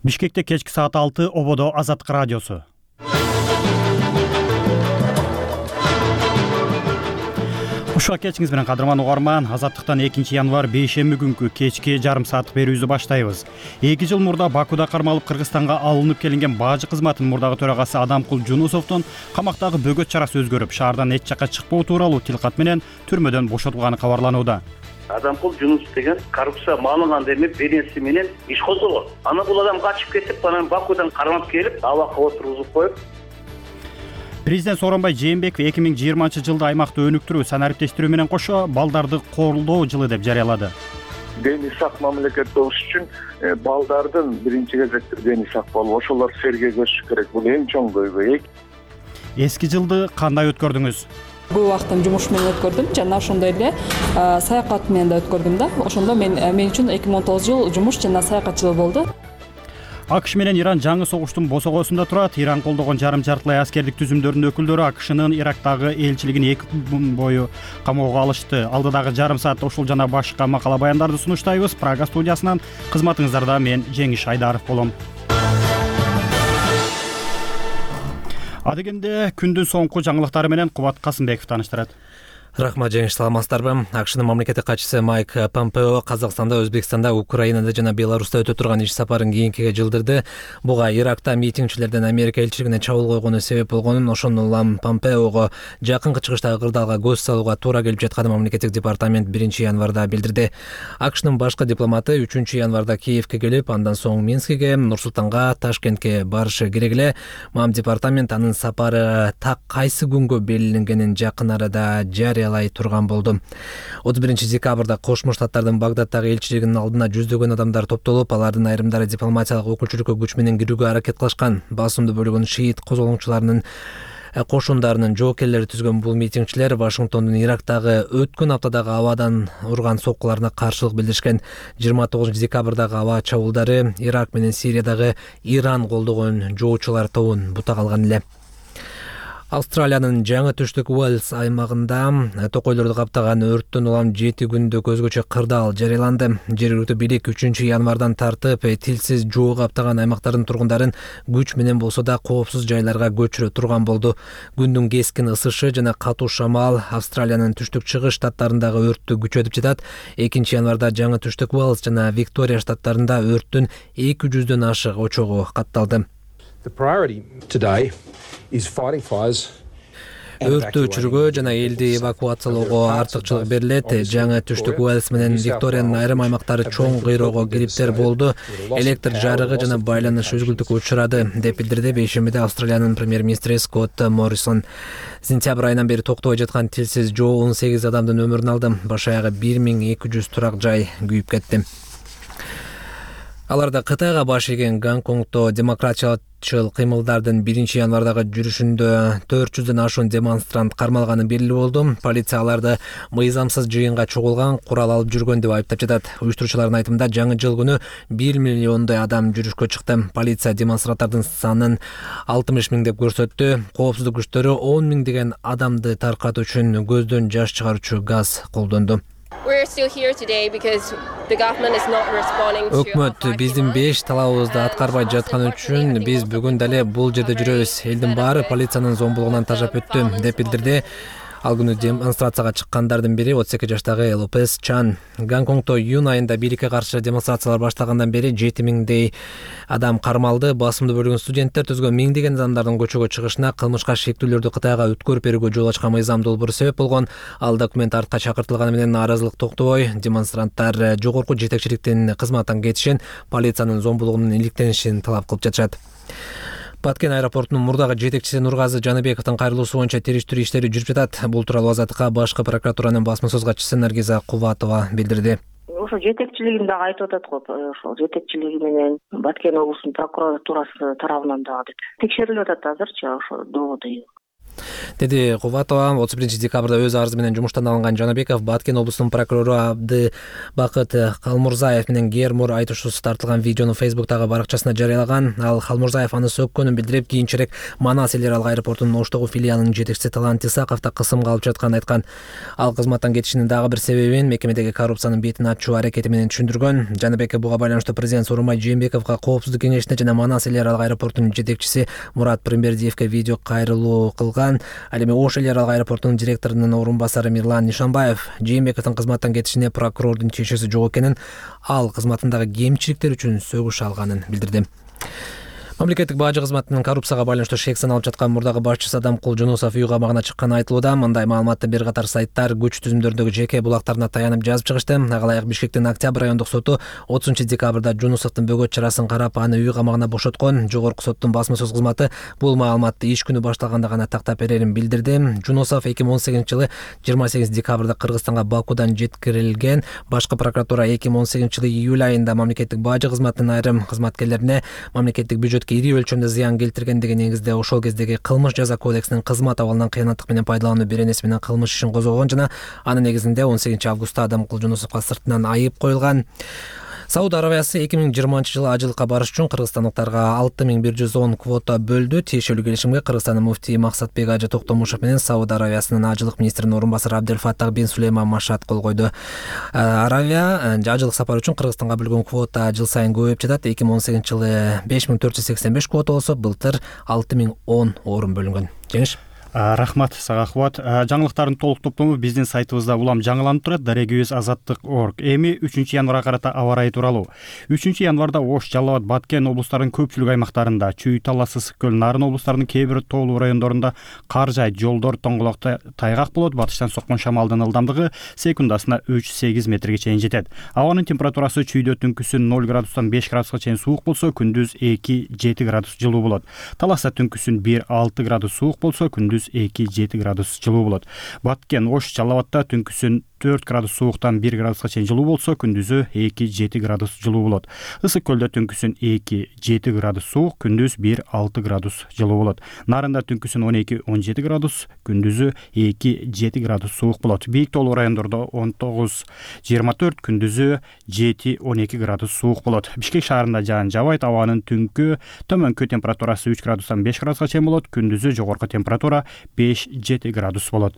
Бишкекте кечки саат 6 ободо Азаттык радиосу. Ушул кечиңиз менен кадырман угарман, Азаттыктан 2-январь бейшемби күнкү кечки жарым сааттык берүүбүздү баштайбыз. 2 жыл мурда Бакуда кармалып Кыргызстанга алынып келинген бажы кызматынын мурдагы төрагасы Адамкул Жунусовдун камактагы бөгөт чарасы өзгөрүп, шаардан эч жакка чыкпоо тууралуу тилкат менен түрмөдөн бошотулганы кабарланууда. Адамкул Жунусов деген коррупция маалыган демеп беренеси менен иш козголгон. Аны бул адам качып кетип, анан Бакудан кармап келип, абакка отургузуп коюп. Президент Сооронбай Жээнбеков 2020-жылда аймакты өнүктүрүү, санариптештирүү менен кошо балдарды колдоо жылы деп жарыялады. Дени сак мамлекет болуш үчүн балдардын биринчи кезекте дени сак болуп, ошолор сергегөшүш керек. Бул эң чоң көйгөй. Эски жылды кандай өткөрдүңүз? Бул убактын жумуш менен өткөрдүм жана ошондой эле саякат менен да өткөрдүм да. Ошондо мен үчүн 2019 жыл жумуш жана саякат жылы болду. АКШ менен Иран жаңы согуштун босогосунда турат. Иран колдогон жарым жартылай аскердик түзүмдөрдүн өкүлдөрү АКШнын Ирактагы элчилигин 2 күн бою камоого алышты. Алдыдагы жарым саатта ушул жана башка макала баяндарды сунуштайбыз. Прага студиясынан кызматыңыздарда мен Жеңиш Айдаров болом. Адегенде күндүн соңку жаңылыктары менен Кубат Касымбеков тааныштырат. Рахмат, Жеңиш, саламатсыздарбы? АКШнын мамлекеттик катчысы Майк Помпео Казакстанда, Өзбекстанда, Украинада жана Беларуста өтө турган иш сапарын кийинкиге жылдырды. Буга Иракта митингчилерден Америка элчилигине чабуул койгону себеп болгонун, ошондон улам Помпеого жакынкы чыгыштагы кырдаалга көз салууга туура келип жатканын мамлекеттик департамент 1-январда билдирди. АКШнын башкы дипломаты 3-январда Киевке келип, андан соң Минскиге, Нур-Султанга, Ташкентке барышы керек эле. Мам департамент анын сапары так кайсы күнгө белгиленгенин жакын арада жарыялай турган болду. 31-декабрда Кошмо Штаттардын Багдаддагы элчилигинин алдына жүздөгөн адамдар топтолуп, алардын айрымдары дипломатиялык өкүлчүлүккө күч менен кирүүгө аракет кылышкан. Басымды бөлүгүн шиит козголоңчуларынын кошундарынын жоокерлери түзгөн бул митингчилер Вашингтондун Ирактагы өткөн аптадагы абадан урган соккуларына каршылык билдиришкен. 29-декабрдагы аба чабуулдары Ирак менен Сириядагы Иран колдогон жоочулар тобун бута калган эле. Австралиянын жаңы түштүк Уэльс аймагында токойлорду каптаган өрттөн улам 7 күндө көзгөчө кырдаал жарыяланды. Жергиликтүү бийлик 3-январдан тартып тилсиз жоо каптаган аймактардын тургундарын күч менен болсо да коопсуз жайларга көчүрө турган болду. Күндүн кескин ысышы жана катуу шамал Австралиянын түштүк-чыгыш штаттарындагы өрттү күчөтүп жатат. 2-январда жаңы түштүк Уэльс жана Виктория штаттарында өрттүн 200дөн ашык очогу катталды. Өрттү өчүрүүгө жана элди эвакуациялоого артыкчылык берилет. Жаңы түштүк Уэльс менен Викториянын айрым аймактары чоң кыйроого кириптер болду. Электр жарыгы жана байланыш үзгүлтүккө учурады, деп билдирди бейшембиде Австралиянын премьер-министри Скотт Моррисон. Сентябрь айынан бери токтобой жаткан тилсиз жоо 18 адамдын өмүрүн алды. Баш аягы 1200 турак жай күйүп кетти. Аларда Кытайга баш ийген Гонконгдо демократчыл кыймылдардын 1-январдагы жүрүшүндө 400дөн ашуун демонстрант кармалганы белгилүү болду. Полиция аларды мыйзамсыз жыйынга чогулган, курал алып жүргөн деп айыптап жатат. Уюштуруучулардын айтымында жаңы жыл күнү 1 миллиондой адам жүрүшкө чыкты. Полиция демонстранттардын санын 60 000 деп көрсөттү. Коопсуздук күчтөрү 10 000 деген адамды таркатуу үчүн көздөн жаш чыгаруучу газ колдонду. Өкмөт биздин 5 талабыбызды аткарбай жатканы үчүн биз бүгүн дале бул жерде жүрөбүз. Элдин баары полициянын зомбулугунан тажап өттү, деп билдирди. Ал күнү демонстрацияга чыккандардын бири 32 жаштагы Лопес Чан. Гонконгдо июнь айында бийликке каршы демонстрациялар башталгандан бери 7 000 адам кармалды. Басымды бөлүгүн студенттер түзгөн миңдеген адамдардын көчөгө чыгышына кылмышка шектүүлөрдү Кытайга өткөрүп берүүгө жол ачкан мыйзам долбоору себеп болгон. Ал документ артка чакыртылганы менен нааразылык токтобой, демонстранттар жогорку жетекчиликтин кызматтан кетишин, полициянын зомбулугунун иликтенишин талап кылып жатышат. Баткен аэропортунун мурдагы жетекчиси Нургазы Жаныбековдун кайрылуусу боюнча териштирүү иштери жүрүп жатат. Бул тууралуу Азаттыкка башкы прокуратуранын басма сөз катчысы Наргиза Кубатова билдирди. Ошо жетекчилигин дагы айтып атат го. Ошол жетекчилиги менен Баткен облусунун прокуратурасы тарабынан дагы деп текшерилип атат азырчы ошо доводу. деди Кубатова. 31 декабрда өз арызы менен жумуштан алынган Жанабеков Баткен облусунун прокурору Абдыбакыт Калмурзаев менен Гермур айтышуусу тартылган видеону Facebook'тагы баракчасына жарыялаган. Ал Калмурзаев аны сөккөнүн билдирип, кийинчерээк Манас эл аралык аэропортунун Оштогу филиалынын жетекчиси Талант Исаковду кысымга алып жатканын айткан. Ал кызматтан кетишинин дагы бир себебин мекемедеги коррупциянын бетин ачуу аракети менен түшүндүргөн. Жанабеков буга байланыштуу президент Сооронбай Жээнбековго, Коопсуздук кеңешине жана Манас эл аралык аэропортунун жетекчиси Мурат Пирмбердиевге видео кайрылуу кылган. Ал эми Ош эл аралык аэропортунун директорунун орун басары Мирлан Нишанбаев Жээнбековдун кызматтан кетишине прокурордун тиешеси жок экенин, ал кызматындагы кемчиликтер үчүн сөгүш алганын билдирди. Мамлекеттик бажы кызматынын коррупцияга байланыштуу шек саналып жаткан мурдагы башчысы Адамкул Жунусов үй камагына чыкканы айтылууда. Мындай маалыматты бир катар сайттар күч түзүмдөрдөгү жеке булактарына таянып жазып чыгышты. Ага ылайык Бишкектин Октябрь райондук соту 30-декабрда Жунусовдун бөгөт чарасын карап, аны үй камагына бошоткон. Жогорку соттун басма сөз кызматы бул маалыматты иш күнү башталганда гана тактап берерин билдирди. Жунусов 2018-жылы 28 декабрда Кыргызстанга Бакудан жеткирилген. Башкы прокуратура 2018-жылы июль айында мамлекеттик бажы кызматынын айрым кызматкерлерине мамлекеттик бюджет ири өлчөмдө зыян келтиргендиги негизде ошол кездеги кылмыш жаза кодексинин кызмат абалынан кыянаттык менен пайдалануу беренеси менен кылмыш ишин козгогон жана анын негизинде 18-августта Адамкул Жунусовго сыртынан айып коюлган. Сауд Аравиясы 2020-жылы ажылыкка барыш үчүн кыргызстандыктарга 6110 квота бөлдү. Тиешелүү келишимге Кыргызстандын муфтии Максатбек Ажы Токтомушев менен Сауд Аравиясынын ажылык министринин орун басары Абделфаттах бин Сулейман Машат кол койду. Аравия ажылык сапары үчүн Кыргызстанга бөлгөн квота жыл сайын көбөйүп жатат. 2018-жылы 5485 квота болсо, былтыр 6010 орун бөлүнгөн. Жеңиш. Рахмат сага Кубат. Жаңылыктардын толук топтому биздин сайтыбызда улам жаңыланып турат. daragibizazаттык.org. Эми 3-январга карата аба ырайы тууралуу. 3-январда Ош, Жалал Абад, Баткен облустарынын көпчүлүк аймактарында, Чүй, Талас, Ысык Көл, Нарын облустарынын кээ бир тоолуу райондорунда кар жаайт, жолдор тоңголокто тайгак болот. Батыштан соккон шамалдын ылдамдыгы секундасына 3-8 метрге чейин жетет. Абанын температурасы Чүйдө түнкүсүн 0 градустан 5 градуска чейин суук болсо, күндүз 2-7 градус жылуу болот. Таласта түнкүсүн 1-6 градус суук болсо, күндүз 2-7 градус жылуу болот. Баткен, Ош, Жалал Абадта түнкүсүн 4 градус сууктан 1 градуска чейин жылуу болсо, күндүзү 2-7 градус жылуу болот. Ысык Көлдө түнкүсүн 2-7 градус суук, күндүз 1-6 градус жылуу болот. Нарында түнкүсүн 12-17 градус, күндүзү 2-7 градус суук болот. Бийик тоолуу райондордо 19-24, күндүзү 7-12 градус суук болот. Бишкек шаарында жаан жабайт, абанын түнкү төмөнкү температурасы 3 градустан 5 градуска чейин болот, күндүзү жогорку температура 5-7 градус болот.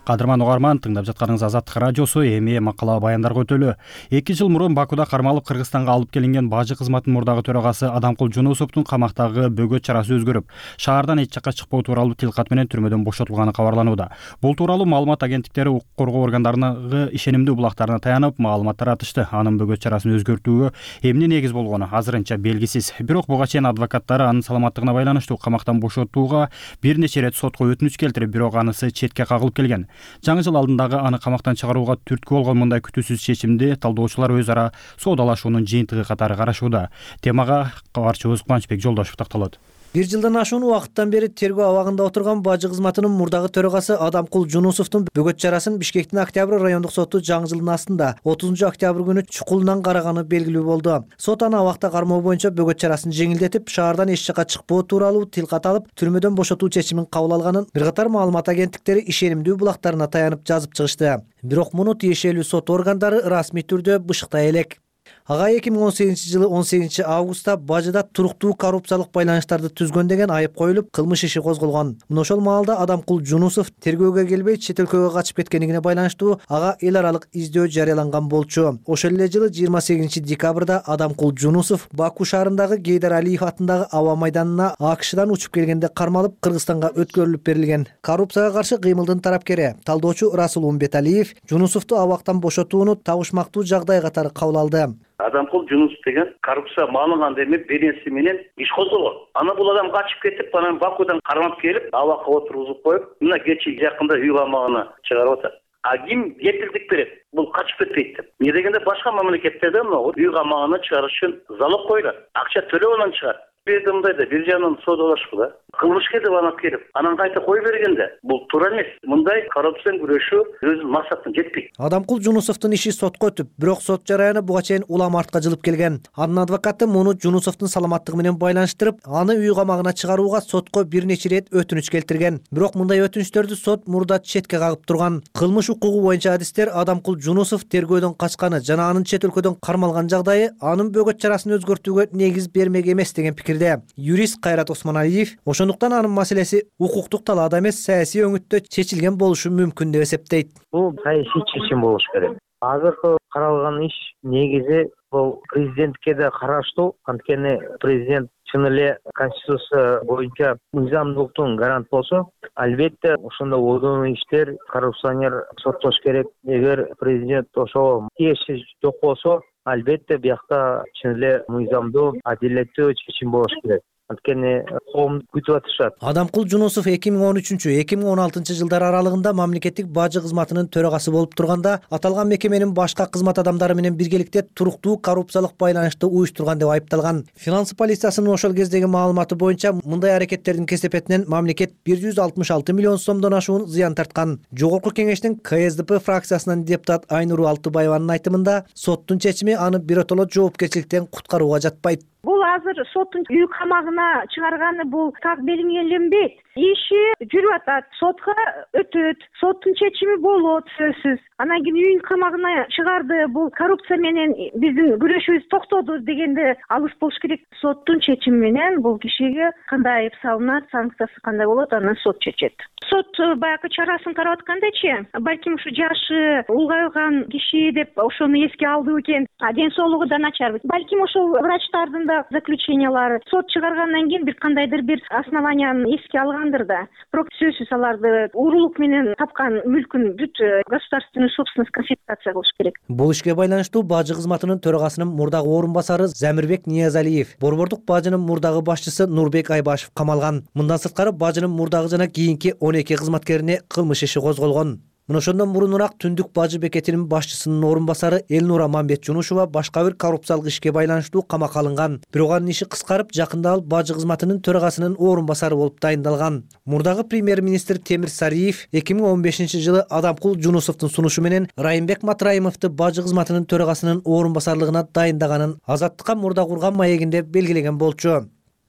Кадырман угарман, тыңдап жатканыңыз Азаттык радиосу. Эми макала баяндарга өтөлү. 2 жыл мурун Бакуда кармалып Кыргызстанга алып келинген бажы кызматынын мурдагы төрагасы Адамкул Жунусовдун камактагы бөгөт чарасы өзгөрүп, шаардан эч жакка чыкпоо тууралуу тилкат менен түрмөдөн бошотулганы кабарланууда. Бул тууралуу маалымат агенттиктери укук коргоо органдарынын ишенимдүү булактарына таянып маалымат таратышты. Анын бөгөт чарасын өзгөртүүгө эмне негиз болгону азырынча белгисиз. Бирок буга чейин адвокаттары анын саламаттыгына байланыштуу камактан бошотууга бир нече ирет сотко өтүнүч келтирип, бирок анысы четке кагылып келген. Жаңы жыл алдындагы аны камактан чыгарууга түрткү болгон мындай күтүүсүз чечимди талдоочулар өз ара соодалашуунун жыйынтыгы катары карашууда. Темага кабарчыбыз Кубанычбек Жолдошев такталат. Бир жылдан ашуун убакыттан бери тергөө абагында отурган бажы кызматынын мурдагы төрагасы Адамкул Жунусовдун бөгөт чарасын Бишкектин Октябрь райондук соту жаңы жылдын астында 30 октябрь күнү чукулунан караганы белгилүү болду. Сот аны абакта кармоо боюнча бөгөт чарасын жеңилдетип, шаардан эч жакка чыкпоо тууралуу тилкат алып, түрмөдөн бошотуу чечимин кабыл алганын бир катар маалымат агенттиктери ишенимдүү булактарына таянып жазып чыгышты. Бирок муну тиешелүү сот органдары расмий түрдө бышыктай элек. Ага 2018-жылы 18 августта бажыда туруктуу коррупциялык байланыштарды түзгөн деген айып коюлуп, кылмыш иши козголгон. Мына ошол маалда Адамкул Жунусов тергөөгө келбей чет өлкөгө качып кеткендигине байланыштуу ага эл аралык издөө жарыяланган болчу. Ошол эле жылы 28 декабрда Адамкул Жунусов Баку шаарындагы Гейдар Алиев атындагы аба майданына АКШдан учуп келгенде кармалып, Кыргызстанга өткөрүлүп берилген. Коррупцияга каршы кыймылдын тарапкери талдоочу Расул Умбеталиев Жунусовду абактан бошотууну табышмактуу жагдай катары кабыл алды. Адамкул Жунусов деген коррупция маалыган деме беренеси менен иш козголгон. Аны бул адам качып кетип, анан Бакудан кармап келип, абакка отургузуп коюп, мына кечи жакында үй камагына чыгарып атат. А ким кепилдик берет? Бул качып кетпейт деп. Эмне дегенде башка мамлекеттерде мына үй камагына чыгарыш үчүн залог коюлат. Акча төлөп анан чыгат. жерде мындай да бир жагынан соодалашпы да. Кылмышка деп анап келип, анан кайта кой бергенде бул туура эмес. Мындай коррупцияны күрөшүү өзүнүн максатына жетпейт. Адамкул Жунусовдун иши сотко өтүп, бирок сот жараяны буга чейин улам артка жылып келген. Анын адвокаты муну Жунусовдун саламаттыгы менен байланыштырып, аны үй камагына чыгарууга сотко бир нече ирет өтүнүч келтирген. Бирок мындай өтүнүчтөрдү сот мурда четке кагып турган. Кылмыш укугу боюнча адистер Адамкул Жунусов тергөөдөн качканы жана анын чет өлкөдөн кармалган жагдайы анын бөгөт чарасын өзгөртүүгө негиз бермек эмес деген пикирде. Юрист Кайрат Осмоналиев ошондуктан анын маселеси укуктук талаада эмес, саясий өңүттө чечилген болушу мүмкүн деп эсептейт. Бул саясий чечим болуш керек. Азыркы каралган иш негизи бул президентке да караштуу, анткени президент чын эле конституция боюнча мыйзамдуулуктун гарант болсо, албетте ошондой одоно иштер коррупционер соттош керек. Эгер президент ошого тиешеси жок болсо, албетте биякта чын эле мыйзамдуу, адилеттүү чечим болуш керек. Анткени коом күтүп атышат. Адамкул Жунусов 2013-2016 жылдар аралыгында мамлекеттик бажы кызматынын төрагасы болуп турганда, аталган мекеменин башка кызмат адамдары менен биргеликте туруктуу коррупциялык байланышты уюштурган деп айыпталган. Финанс полициясынын ошол кездеги маалыматы боюнча, мындай аракеттердин кесепетинен мамлекет 166 миллион сомдон ашуун зыян тарткан. Жогорку кеңештин КСДП фракциясынан депутат Айнур Алтыбаеванын айтымында, соттун чечими аны биротоло жоопкерчиликтен куткарууга жатпайт. Бул азыр соттун үй камагына чыгарганы бул так белгиленбейт. Иши жүрүп атат, сотко өтөт, соттун чечими болот сөзсүз. Анан кийин үй камагына чыгарды, бул коррупция менен биздин күрөшүбүз токтоду дегенде алыс болуш керек. Соттун чечими менен бул кишиге кандай айып салынат, санкциясы кандай болот, анан сот чечет. Сот баягы чарасын карап аткандачы, балким ушу жашы улгайган киши деп ошону эске алды экен, ден соолугу да начар. Балким ошол врачтардын да заключениялары сот чыгаргандан кийин бир кандайдыр бир основанияны эске алгандыр да. Бирок сөзсүз аларды уурулук менен тапкан мүлкүн бүт государственный собственность конфискация кылыш керек. Бул ишке байланыштуу бажы кызматынын төрагасынын мурдагы орун басары Замирбек Ниязалиев, борбордук бажынын мурдагы башчысы Нурбек Айбашев камалган. Мындан сырткары бажынын мурдагы жана кийинки 12 кызматкерине кылмыш иши козголгон. Мына ошондон мурунураак Түндүк бажы бекетинин башчысынын орун басары Элнура Мамбет-Жунушева башка бир коррупциялык ишке байланыштуу камакка алынган. Бирок анын иши кыскарып, жакында ал бажы кызматынын төрагасынын орун басары болуп дайындалган. Мурдагы премьер-министр Темир Сариев 2015 жылы Адамкул Жунусовдун сунушу менен Райымбек Матраимовду бажы кызматынын төрагасынын орун басарлыгына дайындаганын Азаттыкка мурда курган маегинде белгилеген болчу.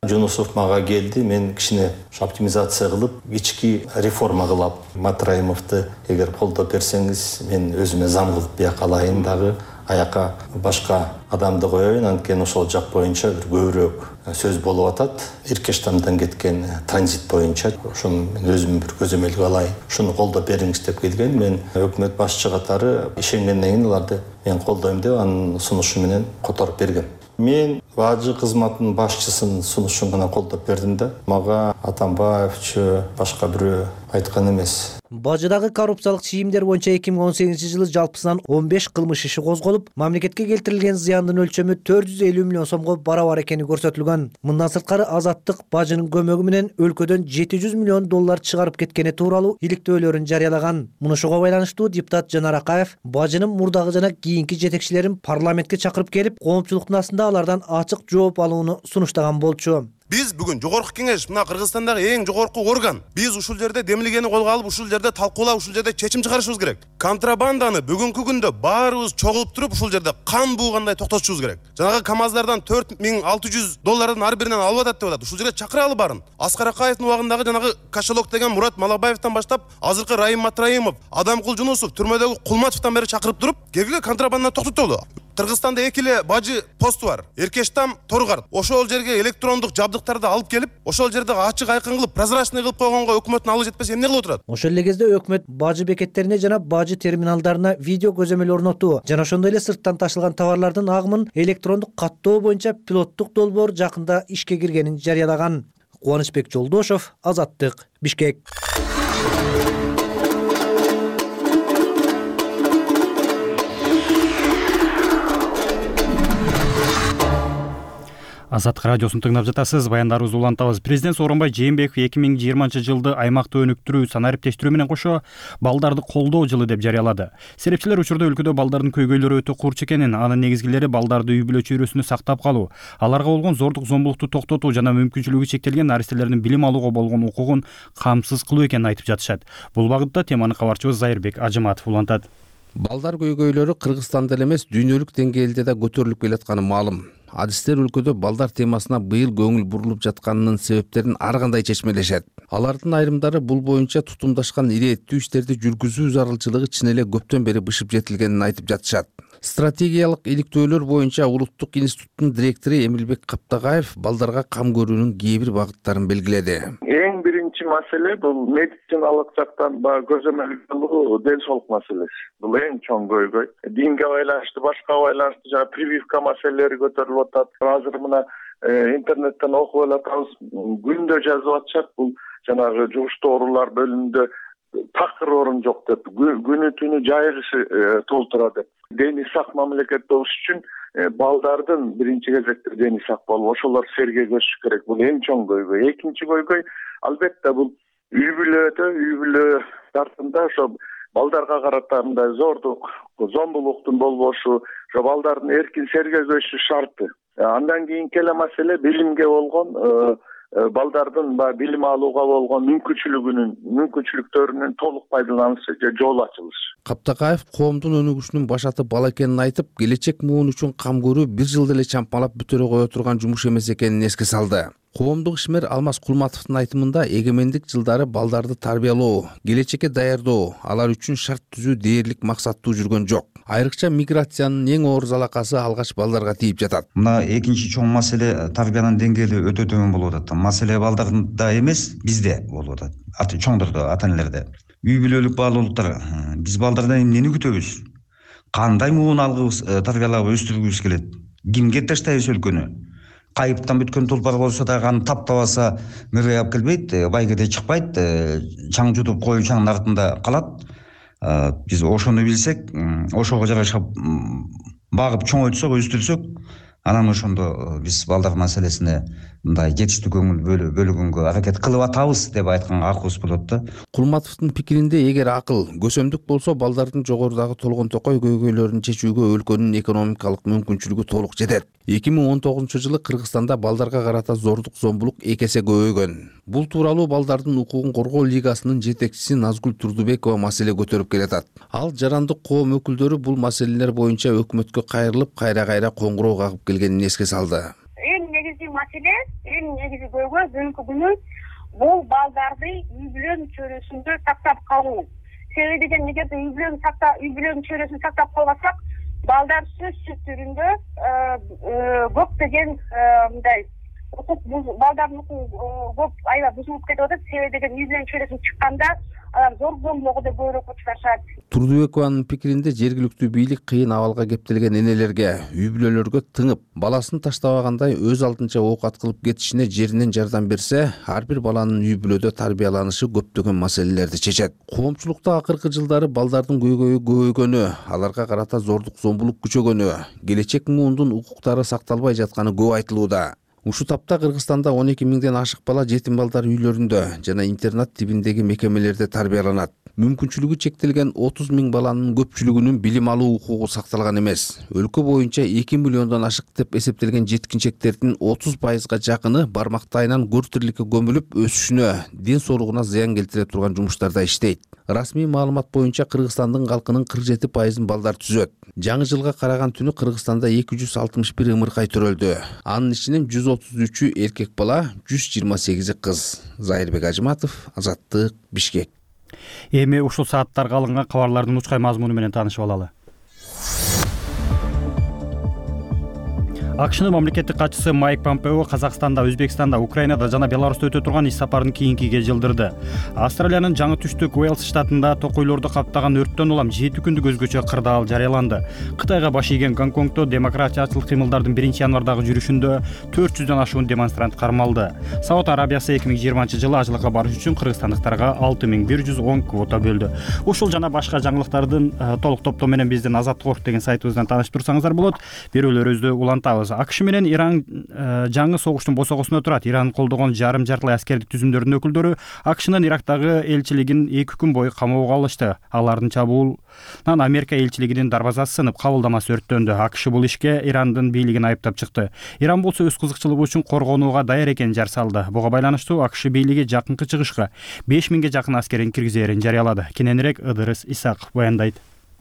Жунусов мага келди, мен кичине оптимизация кылып, ички реформа кылап, Матраимовду эгер колдоп берсеңиз, мен өзүмө зам кылып бияка алайын дагы, аяка башка адамды коеюн, анткени ошол жак боюнча бир көбүрөөк сөз болуп атат. Иркештамдан кеткен транзит боюнча, ошону мен өзүм бир көзөмөлгө алайын, ушуну колдоп бериңиз деп келген. Мен өкмөт башчы катары ишенгенден кийин аларды мен колдойм деп анын сунушу менен которуп бергем. Мен бажы кызматынын башчысынын сунушун гана колдоп бердим да. Мага Атамбаевчу башка бирөө айткан эмес. Бажыдагы коррупциялык чийимдер боюнча 2018 жылы жалпысынан 15 кылмыш иши козголуп, мамлекетке келтирилген зыяндын өлчөмү 450 миллион сомго барабар экени көрсөтүлгөн. Мындан сырткары Азаттык бажынын көмөгү менен өлкөдөн 700 миллион доллар чыгарып кеткени тууралуу иликтөөлөрүн жарыялаган. Мунушуга байланыштуу депутат Жанар Акаев бажынын мурдагы жана кийинки жетекчилерин парламентке чакырып келип, коомчулуктун астында алардан ачык жооп алууну сунуштаган болчу. Биз бүгүн жогорку кеңеш, мына Кыргызстандагы эң жогорку орган. Биз ушул жерде демилгени колго алып, ушул жерде талкуулап, ушул жерде чечим чыгарышыбыз керек. Контрабанданы бүгүнкү күндө баарыбыз чогулуп туруп, ушул жерде кан буугандай токтотушубуз керек. Жанагы КАМАЗдардан 4600 доллардын ар биринен алып атат деп атат. Ушул жерге чакыралы барын. Аскар Акаевдин убагындагы жанагы кошелок деген Мурат Малабаевден баштап, азыркы Райым Матраимов, Адамкул Жунусов, түрмөдөгү Кулматовдон бери чакырып туруп, келгиле контрабанданы токтотолу. Кыргызстанда эки эле бажы посту бар. Эркештам, Торгарт. Ошол жерге электрондук жабдыктарды алып келип, ошол жерде ачык айкын кылып, прозрачный кылып койгонго өкмөттүн алып жетпесе эмне кылып отурат? Ошол эле кезде өкмөт бажы бекеттерине жана бажы терминалдарына видео көзөмөл орнотуу жана ошондой эле сырттан ташылган товарлардын агымын электрондук каттоо боюнча пилоттук долбоор жакында ишке киргенин жарыялаган. Кубанычбек Жолдошов, Азаттык, Бишкек. Азаттык радиосун тыңдап жатасыз. Баяндарыбызды улантабыз. Президент Сооронбай Жээнбеков 2020-жылды аймакты өнүктүрүү, санариптештирүү менен кошо балдарды колдоо жылы деп жарыялады. Серепчилер учурда өлкөдө балдардын көйгөйлөрү өтө курч экенин, анын негизгилери балдарды үй бүлө чөйрөсүндө сактап калуу, аларга болгон зордук зомбулукту токтотуу жана мүмкүнчүлүгү чектелген наристелердин билим алууга болгон укугун камсыз кылуу экенин айтып жатышат. Бул багытта теманы кабарчыбыз Зайырбек Ажыматов улантат. Балдар көйгөйлөрү Кыргызстанда эле эмес, дүйнөлүк деңгээлде да көтөрүлүп келатканы маалым. Адистер өлкөдө балдар темасына быйыл көңүл бурулуп жатканынын себептерин ар кандай чечмелешет. Алардын айрымдары бул боюнча тутумдашкан ирэеттүү иштерди жүргүзүү зарылчылыгы чын эле көптөн бери бышып жетилгенин айтып жатышат. Стратегиялык иликтөөлөр боюнча Улуттук институттун директору Эмилбек Каптагаев балдарга кам көрүүнүн кээ бир багыттарын белгиледи. Эң биринчи маселе бул медициналык жактан көзөмөлдөө ден соолук маселеси. Бул эң чоң көйгөй. Динге байланыштуу, башка байланыштуу жана прививка маселелери көтөрүлүп атат. Азыр мына интернеттен окуп атабыз, күндө жазып атышат. Бул жанагы жугуштуу оорулар бөлүмүндө такыр орун жок деп, күнү түнү жайгышы толтура деп. Дени сак мамлекет болуш үчүн балдардын биринчи кезекте дени сак болуп, ошолор серге көчүш керек. Бул эң чоң көйгөй. Экинчи көйгөй албетте бул үй бүлө тартымда ошо балдарга карата мындай зордук, зомбулуктун болбошу, ошо балдардын эркин серге көчүшү шарты. Андан кийинки эле маселе билимге болгон балдардын билим алууга болгон мүмкүнчүлүктөрүнүн толук пайдаланышы же жол ачылышы. Каптагаев коомдун өнүгүшүнүн башаты бала экенин айтып, келечек муун үчүн кам көрүү бир жылда эле чампалап бүтөрө кое турган жумуш эмес экенин эске салды. Коомдук ишмер Алмаз Кулматовдун айтымында эгемендик жылдары балдарды тарбиялоо, келечекке даярдоо, алар үчүн шарт түзүү дээрлик максаттуу жүргөн жок. Айрыкча миграциянын эң оор залакасы алгач балдарга тийип жатат. Мына экинчи чоң маселе тарбиянын деңгээли өтө төмөн болуп атат. Маселе балдарда эмес, бизде болуп атат. Чоңдордо, ата энелерде. Үй бүлөлүк баалуулуктар, биз балдардан эмнени күтөбүз? Кандай муун алгыбыз, тарбиялап өстүргүбүз келет? Кимге таштайбыз өлкөнү? Кайыптан бүткөн тулпар болсо дагы аны таптабаса мөргөй алып келбейт, байгеде чыкпайт, чаң жутуп кою чаңдын артында калат. Биз ошону билсек, ошого жараша багып чоңойтсок, өстүрсөк, анан ошондо биз балдар маселесине мындай жетиштүү көңүл бөлгөнгө аракет кылып атабыз деп айтканга акыбыз болот да. Кулматовдун пикиринде, эгер акыл, көсөмдүк болсо балдардын жогорудагы толгон токой көйгөйлөрүн чечүүгө өлкөнүн экономикалык мүмкүнчүлүгү толук жетет. 2019-жылы Кыргызстанда балдарга карата зордук зомбулук 2 эсе көбөйгөн. Бул тууралуу балдардын укугун коргоо лигасынын жетекчиси Назгүл Турдубекова маселе көтөрүп келатат. Ал жарандык коом өкүлдөрү бул маселелер боюнча өкмөткө кайрылып, кайра коңгуроо кагып келгенин эске салды. Эң негизги маселе, эң негизги көйгөй бүгүнкү күнү бул балдарды үй бүлө чөйрөсүндө сактап калуу. Себеби деген эгерде үй бүлө чөйрөсүн сактап калбасак, балдар сөзсүз түрүндө көптөгөн мындай балдардын укугу көп аябай бузулуп кетип атат. Себеби деген үй бүлө чөйрөсүнө чыкканда алар зор зомбулукка да көбүрөөк учурашат. Турдубекованын пикиринде жергиликтүү бийлик кыйын абалга кептелген энелерге, үй бүлөлөргө тыңып, баласын таштабагандай өз алдынча оокат кылып кетишине жеринен жардам берсе, ар бир баланын үй бүлөдө тарбияланышы көптөгөн маселелерди чечет. Коомчулукта акыркы жылдары балдардын көйгөйү көбөйгөнү, аларга карата зордук зомбулук күчөгөнү, келечек муундун укуктары сакталбай жатканы көп айтылууда. Ушу тапта Кыргызстанда 12 миңден ашык бала жетим балдар үйлөрүндө жана интернат тибиндеги мекемелерде тарбияланат. Мүмкүнчүлүгү чектелген 30 миң баланын көпчүлүгүнүн билим алуу укугу сакталган эмес. Өлкө боюнча 2 миллиондон ашык деп эсептелген жеткинчектердин 30%га жакыны бармактайынан көр тирликке көмүлүп, өсүшүнө, ден соолугуна зыян келтире турган жумуштарда иштейт. Расмий маалымат боюнча Кыргызстандын калкынын 47%-ын балдар түзөт. Жаңы жылга караган түнү Кыргызстанда 261 ымыркай төрөлдү. Анын ичинен 133-ү эркек бала, 128-и кыз. Зайырбек Ажыматов, Азаттык, Бишкек. Эми ушул сааттарга алынган кабарлардын учкай мазмуну менен таанышып алалы. АКШнын мамлекеттик катчысы Майк Помпео Казакстанда, Өзбекстанда, Украинада жана Беларуста өтө турган иш сапарын кийинкиге жылдырды. Австралиянын жаңы түштүк Уэльс штатында токойлорду каптаган өрттөн улам 7 күндүк өзгөчө кырдаал жарыяланды. Кытайга баш ийген Гонконгдо демократиячылык кыймылдардын 1-январдагы жүрүшүндө 400дөн ашуун демонстрант кармалды. Сауд Арабиясы 2020-жылы ажылыкка барыш үчүн кыргызстандыктарга 6110 квота бөлдү. Ушул жана башка жаңылыктардын толук топтому менен биздин Азаттык деген сайтыбыздан тааныштырсаңыздар болот. Берүүлөрүбүздү улантабыз. улантабыз. АКШ менен Иран жаңы согуштун босогосуна турат. Иран колдогон жарым-жартылай аскердик түзүмдөрдүн өкүлдөрү АКШнын Ирактагы элчилигин 2 күн бою камоого алышты. Алардын чабуулунан Америка элчилигинин дарбазасы сынып, кабылдамасы өрттөндү. АКШ бул ишке Ирандын бийлигин айыптап чыкты. Иран болсо өз кызыкчылыгы үчүн коргонууга даяр экенин жар салды. Буга байланыштуу АКШ бийлиги жакынкы чыгышка 5000ге жакын аскерин киргизерин жарыялады. Кененирээк Ыдырыс Исаков баяндайт.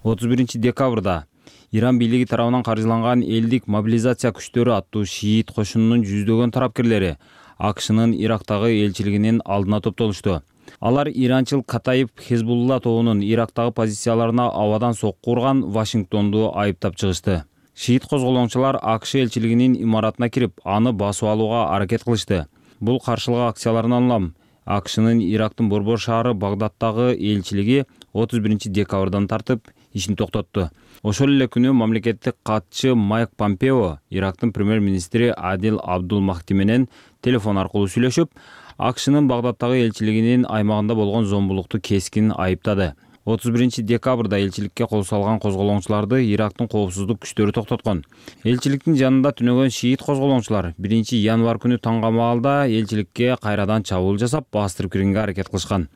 31-декабрда Иран бийлиги тарабынан каржыланган элдик мобилизация күчтөрү аттуу шиит кошунунун жүздөгөн тарапкерлери АКШнын Ирактагы элчилигинин алдына топтолушту. Алар иранчыл Катаиб Хезбулла тобунун Ирактагы позицияларына абадан сокку урган Вашингтонду айыптап чыгышты. Шиит козголоңчулар АКШ элчилигинин имаратына кирип, аны басып алууга аракет кылышты. Бул каршылык акцияларынан улам АКШнын Ирактын борбор шаары Багдадтагы элчилиги 31-декабрдан тартып ишин токтотту. Ошол эле күнү мамлекеттик катчы Майк Помпео Ирактын премьер-министри Адил Абдул Махди менен телефон аркылуу сүйлөшүп, АКШнын Багдадтагы элчилигинин аймагында болгон зомбулукту кескин айыптады. 31-декабрда элчиликке кол салган козголоңчуларды Ирактын коопсуздук күчтөрү токтоткон. Элчиликтин жанында түнөгөн шиит козголоңчулар 1-январь күнү таңга маалда элчиликке кайрадан чабуул жасап, бастырып киргенге аракет кылышкан.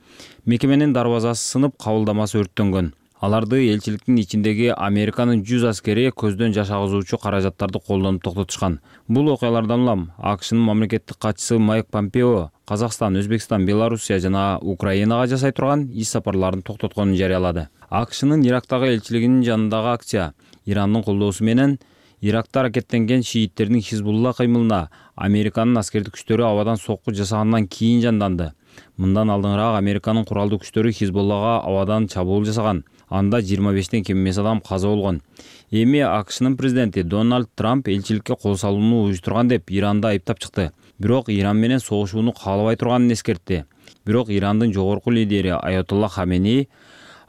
Мекеменин дарбазасы сынып, кабылдамасы өрттөнгөн. Аларды элчиликтин ичиндеги Американын 100 аскери көздөн жаш агызуучу каражаттарды колдонуп токтотушкан. Бул окуялардан улам АКШнын мамлекеттик катчысы Майк Помпео Казакстан, Өзбекстан, Белоруссия жана Украинага жасай турган иш сапарларын токтотконун жарыялады. АКШнын Ирактагы элчилигинин жанындагы акция Ирандын колдоосу менен Иракта аракеттенген шииттердин Хизбулла кыймылына Американын аскердик күчтөрү абадан сокку жасагандан кийин жанданды. Мындан алдыңыраак Американын куралдуу күчтөрү Хизбуллага абадан чабуул жасаган. Анда 25-тен кем эмес адам каза болгон. Эми АКШнын президенти Дональд Трамп элчиликке кол салууну уюштурган деп Иранды айыптап чыкты. Бирок Иран менен согушууну каалабай турганын эскертти. Бирок Ирандын жогорку лидери Аятолла Хамени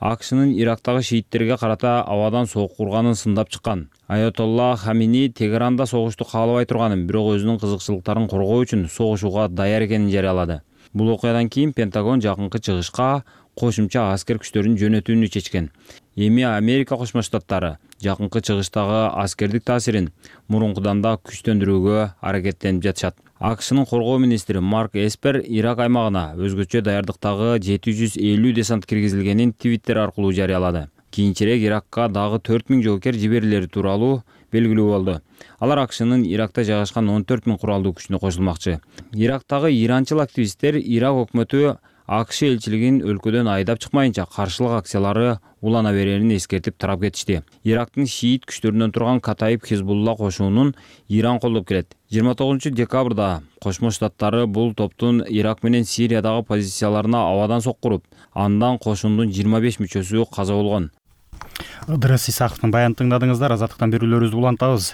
АКШнын Ирактагы шииттерге карата абадан сокку урганын сындап чыккан. Аятолла Хамени Тегеранда согушту каалабай турганын, бирок өзүнүн кызыкчылыктарын коргоо үчүн согушууга даяр экенин жарыялады. Бул окуядан кийин Пентагон жакынкы чыгышка кошумча аскер күчтөрүн жөнөтүүнү чечкен. Эми Америка Кошмо Штаттары жакынкы чыгыштагы аскердик таасирин мурункудан да күчтөндүрүүгө аракеттенип жатышат. АКШнын коргоо министри Марк Эспер Ирак аймагына өзгөчө даярдыктагы 750 десант киргизилгенин Твиттер аркылуу жарыялады. Кийинчерээк Иракка дагы 4000 жоокер жиберилери тууралуу белгилүү болду. Алар АКШнын Иракта жайгашкан 14000 куралдуу күчүнө кошулмакчы. Ирактагы иранчыл активисттер Ирак өкмөтү АКШ элчилигин өлкөдөн айдап чыкмайынча каршылык акциялары улана берерин эскертип тарап кетишти. Ирактын шиит күчтөрүнөн турган Катаиб Хизбулла кошунун Иран колдоп келет. 29-декабрда Кошмо Штаттары бул топтун Ирак менен Сириядагы позицияларына абадан соккуруп, андан кошундун 25 мүчөсү каза болгон. Ыдырыс Исаковдун баянын тыңдадыңыздар. Азаттыктан берүүлөрүбүздү улантабыз.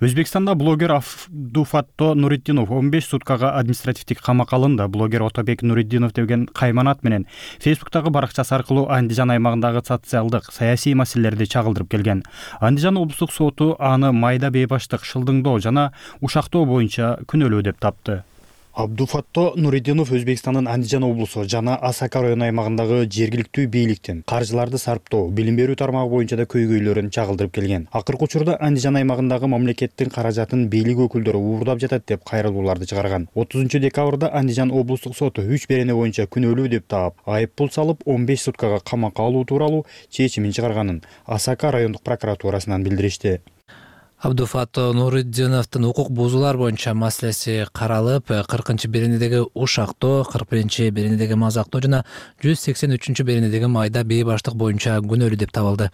Өзбекстанда блогер Абдуфатто Нуриддинов 15 суткага административдик камакка алынды. Блогер Отобек Нуриддинов деген кайманат менен Фейсбуктагы баракчасы аркылуу Андижан аймагындагы социалдык, саясий маселелерди чагылдырып келген. Андижан облустук соту аны майда бейбаштык, шылдыңдоо жана ушактоо боюнча күнөөлүү деп тапты. Абдуфатто Нуриддинов Өзбекстандын Андижан облусу жана Асака району аймагындагы жергиликтүү бийликтин каржыларды сарптоо, билим берүү тармагы боюнча да көйгөйлөрүн чагылдырып келген. Акыркы учурда Андижан аймагындагы мамлекеттин каражатын бийлик өкүлдөрү уурдап жатат деп кайрылууларды чыгарган. 30-декабрда Андижан облустук соту 3 берене боюнча күнөөлүү деп таап, айып пул салып 15 суткага камакка алуу тууралуу чечимин чыгарганын Асака райондук прокуратурасынан билдиришти. Абдуфатто Нуриддиновдун укук бузуулар боюнча маселеси каралып, 40-беренедеги ушактоо, 41-беренедеги мазактоо жана 183 беренедеги майда бейбаштык боюнча күнөөлүү деп табылды.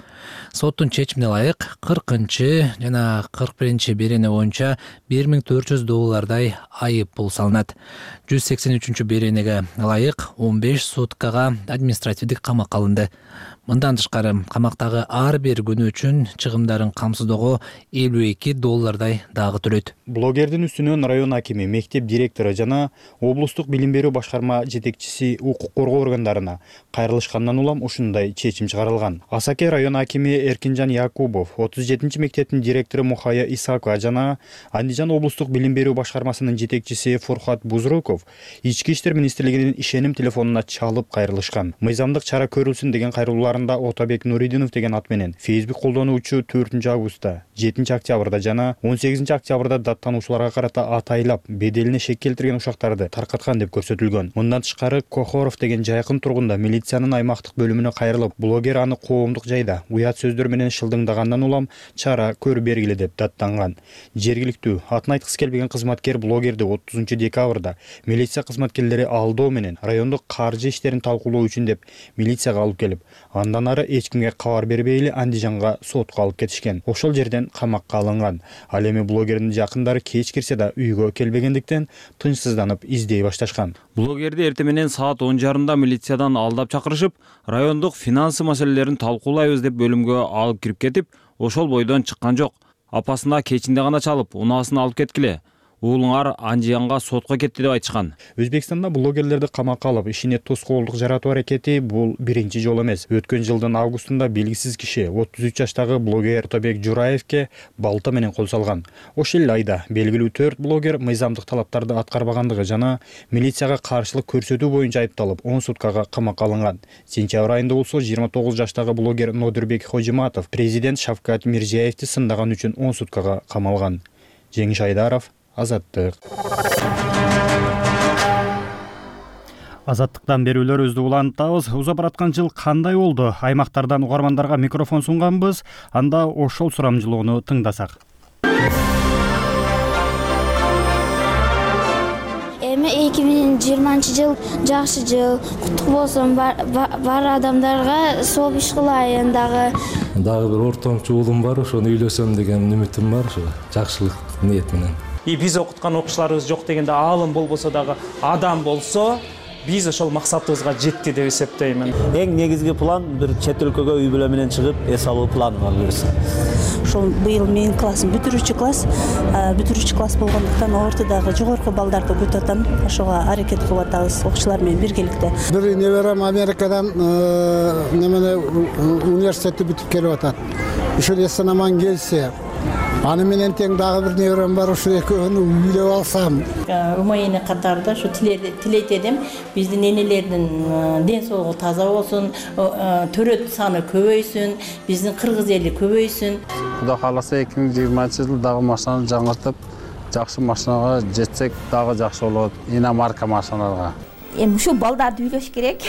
Соттун чечимине ылайык 40 жана 41-берене боюнча $1400 айып пул салынат. 183 беренеге ылайык 15 суткага административдик камакка алынды. Мындан тышкары камактагы ар бир күнү үчүн чыгымдарын камсыздоого $52 дагы төлөйт. Блогердин үстүнөн район акими, мектеп директору жана облустук билим берүү башкарма жетекчиси укук коргоо органдарына кайрылышкандан улам ушундай чечим чыгарылган. Асаке район акими Эркинжан Якубов, 37-мектептин директору Мухая Исакова жана Андижан облустук билим берүү башкармасынын жетекчиси Фурхат Бузруков Ички иштер министрлигинин ишеним телефонуна чалып кайрылышкан. Мыйзамдык чара көрүлсүн деген кайрылуулар шаарында Отабек Нуридинов деген ат менен Facebook колдонуучу 4-августта, 7-октябрда жана 18-октябрда даттануучуларга карата атайлап беделине шек келтирген ушактарды таркаткан деп көрсөтүлгөн. Мындан тышкары Кохоров деген жайкын тургунда милициянын аймактык бөлүмүнө кайрылып, блогер аны коомдук жайда уят сөздөр менен шылдыңдагандан улам чара көрүп бергиле деп даттанган. Жергиликтүү атын айткысы келбеген кызматкер блогерди 30-декабрда милиция кызматкерлери алдоо менен райондук каржы иштерин талкуулоо үчүн деп милицияга алып келип, андан ары эч кимге кабар бербей эле Андижанга сотко алып кетишкен. Ошол жерден камакка алынган. Ал эми блогердин жакындары кеч кирсе да үйгө келбегендиктен тынчсызданып издей башташкан. Блогерди эртең менен саат 10:30 милициядан алдап чакырышып, райондук финансы маселелерин талкуулайбыз деп бөлүмгө алып кирип кетип, ошол бойдон чыккан жок. Апасына кечинде гана чалып, унаасын алып кеткиле. Уулуңар Андижанга сотко кетти деп айтышкан. Өзбекстанда блогерлерди камакка алып, ишине тоскоолдук жаратуу аракети бул биринчи жол эмес. Өткөн жылдын августунда белгисиз киши 33 жаштагы блогер Тобек Жураевке балта менен кол салган. Ошол эле айда белгилүү 4 блогер мыйзамдык талаптарды аткарбагандыгы жана милицияга каршылык көрсөтүү боюнча айыпталып 10 суткага камакка алынган. Сентябрь айында болсо 29 жаштагы блогер Нодирбек Хожиматов президент Шавкат Мирзиевди сындаган үчүн 10 суткага камалган. Жеңиш Айдаров, Азаттык. Азаттыктан берүүлөрүбүздү улантабыз. Узап бараткан жыл кандай болду? Аймактардан угармандарга микрофон сунганбыз. Анда ошол сурамжылоону тыңдасак. Эми 2020-жыл жакшы жыл, куттук болсун. Бар адамдарга сооп иш кылайын дагы бир ортомчу уулум бар, ошону үйлөсөм деген үмүтүм бар, ошо жакшылык ниет менен. Биз окуткан окуучуларыбыз жок дегенде аалым болбосо дагы адам болсо, биз ошол максатыбызга жетти деп эсептеймин. Эң негизги план бир чет өлкөгө үй бүлө менен чыгып, эс алуу планым бар буюрса. Ошол быйыл менин классым бүтүрүүчү класс болгондуктан ортодогу жогорку балдарды күтүп атам. Ошого аракет кылып атабыз окуучулар менен биргеликте. Бир неберем Америкадан университетти бүтүп келип атат. Ушул эсен аман келсе, аны менен тең дагы бир неберем бар, ушул экөөнү үйлөп алсам. Умайыны катарында ушу тилейт элем, биздин энелердин ден соолугу таза болсун, төрөт саны көбөйсүн, биздин кыргыз эли көбөйсүн. Кудай кааласа 2020-жыл дагы машинаны жаңыртып, жакшы машинага жетсек дагы жакшы болот. Иномарка машиналарга. Эми ушу балдарды үйлөш керек.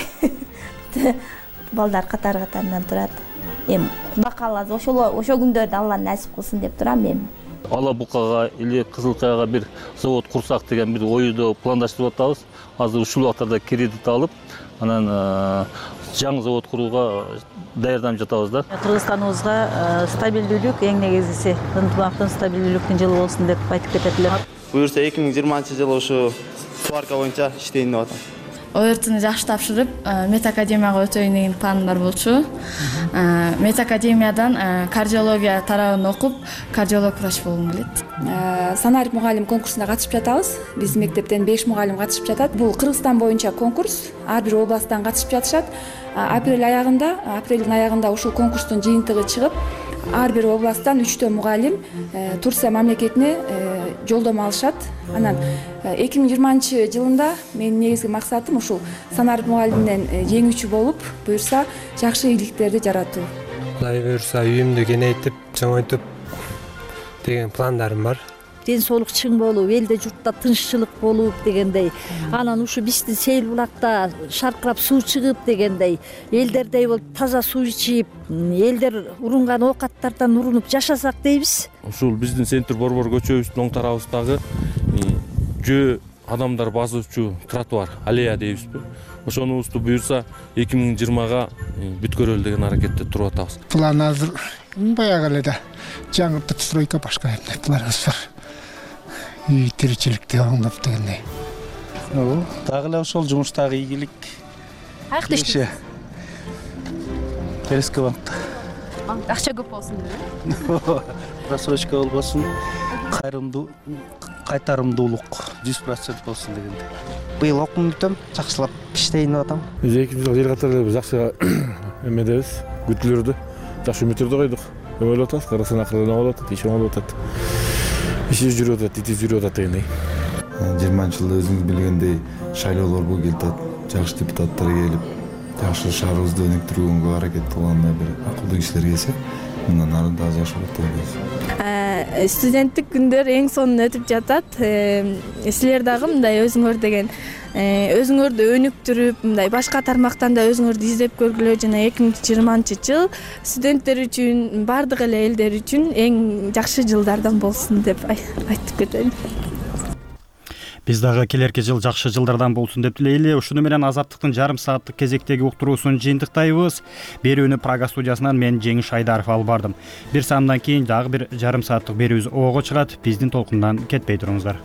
Балдар катар-катарынан турат. Эми Кудай кааласа ошол күндөрдү Алла насип кылсын деп турам эми. Ала Букага или Кызылкаяга бир завод курсак деген бир ойду пландаштырып атабыз. Азыр ушул убактарда кредит алып, анан жаңы завод курууга даярданып жатабыз да. Кыргызстаныбызга стабилдүүлүк эң негизгиси, ынтымактын стабилдүүлүктүн жылы болсун деп айтып кетет элем. Буюрса 2020-жылы ушу сварка боюнча иштейин деп атам. ОРТны жакшы тапшырып, медакадемияга өтөйүн деген планым бар болчу. Медакадемиядан кардиология тарабын окуп, кардиолог врач болгум келет. Санарип мугалим конкурсуна катышып жатабыз. Биздин мектептен 5 мугалим катышып жатат. Бул Кыргызстан боюнча конкурс. Ар бир областтан катышып жатышат. Апрелдин аягында ушул конкурстун жыйынтыгы чыгып, ар бир областтан 3 мугалим Турция мамлекетине жолдомо алышат. Анан 2020-жылында менин негизги максатым ушул санарип мугалимден жеңүүчү болуп, буюрса жакшы ийгиликтерди жаратуу. Кудай буюрса үйүмдү кеңейтип, чоңойтуп деген пландарым бар. Ден соолук чың болуп, элде журтта тынччылык болуп дегендей. Анан ушу биздин Сейил булакта шаркырап суу чыгып дегендей, элдердей болуп таза суу ичип, элдер урунган оокаттардан урунуп жашасак дейбиз. Ушул биздин Центр Борбор көчөбүздүн оң тарабыбыздагы жөө адамдар басуучу тротуар, аллея дейбизби? Ошонубузду буюрса 2020-га бүткөрөлү деген аракетте туруп атабыз. План азыр баягы эле да жаңыртып стройка башка планыбыз бар. Үй тиричиликти оңдоп дегендей. Дагы эле ошол жумуштагы ийгилик. Каякта иштейсиз? Келески банкта. Акча көп болсун деп. Просрочка болбосун, кайтарымдуулук 100% болсун дегендей. Быйыл окуум бүтөм, жакшылап иштейин деп атам. Биз 2 жыл катары эле жакшы эмедебиз, күтүлөрдү, жакшы үмүттөрдү койдук. Ойлоп атабыз, карасына акырын болуп атат, иш болуп атат. Иши жүрүп атат, ити жүрүп атат дегендей. 20-жылда өзүңүз билгендей шайлоолор келип атат, жакшы депутаттар келип, жакшы шаарыбызды өнүктүргөнгө аракет кылганда бир акылдуу кишилер келсе мындан ары дагы жакшы болот деп ойлойбуз. Студенттик күндөр эң сонун өтүп жатат. Силер дагы мындай өзүңөр деген өзүңөрдү өнүктүрүп, мындай башка тармактан да өзүңөрдү издеп көргүлө. Жана 2020-жыл студенттер үчүн, бардык эле элдер үчүн эң жакшы жылдардан болсун деп айтып кетейин. Биз дагы келерки жыл жакшы жылдардан болсун деп тилейли. Ушуну менен Азаттыктын жарым сааттык кезектеги уктуруусун жыйынтыктайбыз. Берүүнү Прага студиясынан мен Жеңиш Айдаров алып бардым. Бир саамдан кийин дагы бир жарым сааттык берүүбүз ого чыгат. Биздин толкундан кетпей туруңуздар.